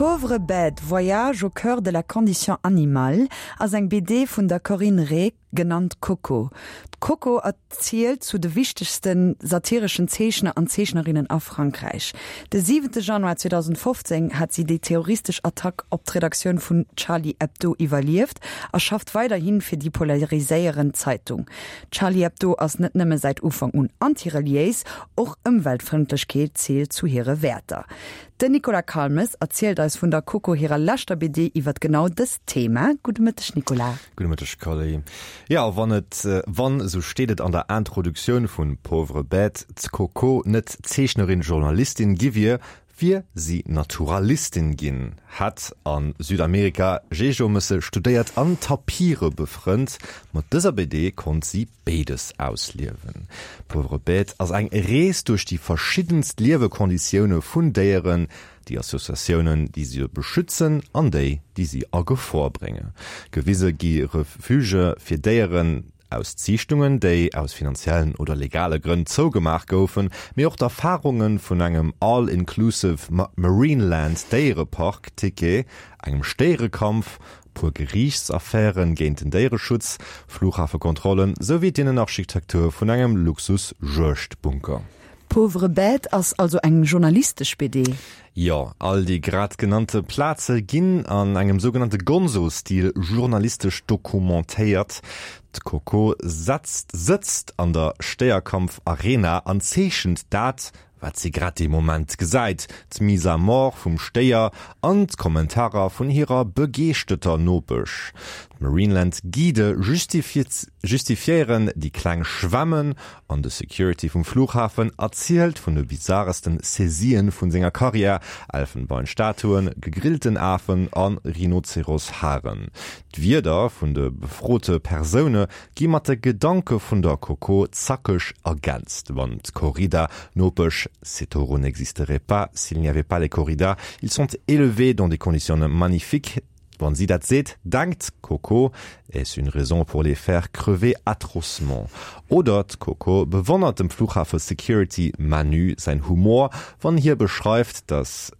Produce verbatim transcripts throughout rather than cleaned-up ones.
Pauvre bête, voyage au cœur de la condition animale ass eng B D vun der Corinne Rey, genannt Coco. D'Coco erzielt zu de wichtegste satireschen Zeechner an Zeechnerinnen a Frankräich. De siwente Januar zweedausendfofzéng hat si déi terroristesch Attack op d'Redaktioun vun Charlie Hebdo iwwerlieft a schafft weiderhi fir déi polariséierend Zeitung. Charlie Hebdo ass net nëmme säit Ufank un antireliéis, och Ëmweltfrëndlechkeet zielt zu hire Wäerter. Den Nicolas Calmes erzielt eis vun der Coco hirer leschter B D iwwer genau dëst Thema. Gudde Mëtteg, Nicolas. Gudde Mëtteg, Carly. Ja, wann et wann, sou steet et an der Introduktioun vun Pauvre bête, d'Coco net Zeechnerin Journalistin gi wier, wier si Naturalistin ginn, hätt a Südamerika Jeejomësse studéiert an Tapire befrënnt. Mat dëser B D konnt si béides ausliewen. Pauvre bête ass eng Rees duerch déi verschiddenst Liewekonditioune vun Déieren, déi Associatiounen, déi se beschützen an déi, déi si a Gefor bréngen. Gewise gi Refugë fir Déieren aus Ziichtungen, déi aus finanziellen oder legale Grënn zougemaach goufen, mee och d'Erfarunge vun engem All-Inclusive Marineland Déierepark Ticket, engem Stéierekampf, puer Geriichtsaffäre géint den Déiereschutz, Fluchhafekontrollen, souwéi d'Innenarchitektur vun engem Luxus-Juegdbunker. Pauvre bête ass also eng journalistesch B D. Jo, all déi grad genannte Plaze ginn an engem sougenannte Gonzo-Stil journalistesch dokumentéiert. D'Coco setzt sëtzt an der Stéierkampf-Arena an zeechent dat, wat si grad dee Moment gesäit, d'Mise à mort vum Stéier an d'Kommentarer vun hirer begeeschterter Nopesch. D'Marineland Guidë justifiéieren déi kleng Schwämmen an de Security vum Flughafen erzielt vun de bizarresten Saisien vun senger Karriär, Elfenbeinstatuen, gegrillten Afen a Rhinozeros-Haren. D'Wierder vun de befrote Persoune gi mat de Gedanke vun der Coco zackeg ergänzt. Wann d'Corrida-Nopesch "Ces taureaux n'existeraient pas s'il n'y avait pas les corridas, ils sont élevés dans des conditions magnifiques", wann si dat seet, denkt d'Coco: "Est-ce une raison pour les faire crever atrocement?" Oder d'Coco bewonnert dem Flughafe Security Manu säin Humor, wann hie beschreift, dass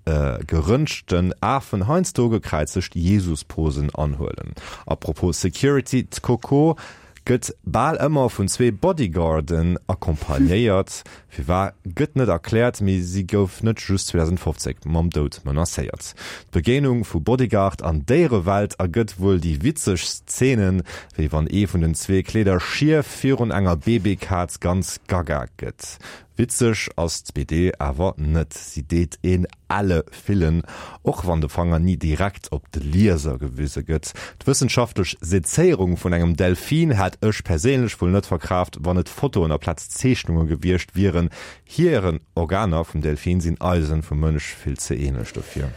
geröntgten Afen heiansdo gekräizegt Jesus-Posen anhuelen. Apropos Security, d'Coco gëtt bal ëmmer vun zwee Bodyguarden accompagnéiert. Firwat gëtt net erkläert, mee si gouf net just zweedausendfofzéng mam Doud menacéiert. D'Begéinung vu Bodyguard an Déierewelt ergëtt wuel déi witzegst Zeenen, wéi wann ee vun den zwee Kleeder schief virun enger Babykaz ganz gaga gëtt. Witzeg ass d'B D awer net, si deet een elle fillen, och wann de Fanger ni direkt op de Lieser gewise gëtt. D'wëssenschaftlech Sezéierung vun engem Delfin hätt ech perséinlech wuel net verkraaft, wann et Fotoen aplaz Zeechnunge gewiescht wieren. Hiren Organer vum Delfin sinn eise vum Mënsch vill ze änlech dofir.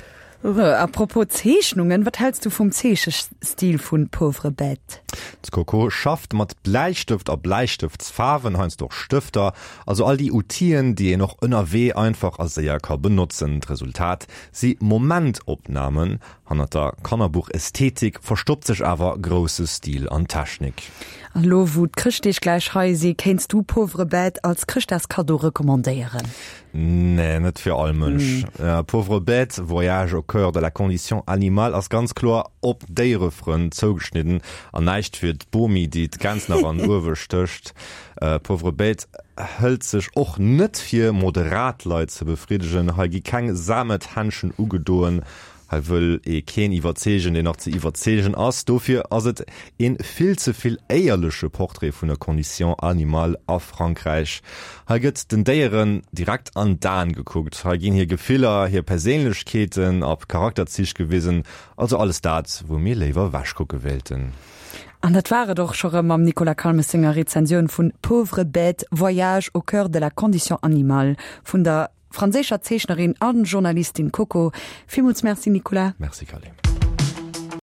Apropos Zeechnungen, wat häls du vum Zeechestil vun Pauvre bête? D'Coco schafft mat Bläistëft a Bläistëftsfaarwen, heiansdo och Stëfter, also all déi Outilen, déi een och ënnerwee einfach a séier ka benotzen. D'Resultat si Momentopnamen. Hannert der Kannerbuch-Ästhetik verstoppt sech awer grousse Stil an Technik. An elo wou d'Chrëschtdeeg gläich hei si, kéints du Pauvre bête als Chrëschtdagskaddo recommandéieren? Nee, net fir all Mënsch. Pauvre bête, voyage au cœur de la condition animale ass ganz kloer op Déierefrënn zougeschnidden an näischt fir d'Bomi, déi d'Gäns nach an den Uewe stécht. Pauvre bête hëlt sech och net fir, moderat Leit ze befriddegen. Hei gi keng Samethändschen ugedoen. Hei wëll ee keen iwwerzeegen, deen nach ze iwwerzeegen ass. Dofir ass et een vill ze vill éierleche Portrait vun der Condition animale a Frankräich. Hei gëtt den Déieren direkt an d'Aen gekuckt. Hei ginn hir Gefiller, hir Perséinlechkeeten a Charakterzich gewisen. Also alles dat, wou mir léiwer ewechkucke wéilten. An dat war et och scho rëm mam Nicolas Calmes senger Rezensioun vun Pauvre bête, voyage au cœur de la condition animale vun der franséischer Zeechnerin an Journalistin Coco. Villmools Merci, Nicolas. Merci, Carly.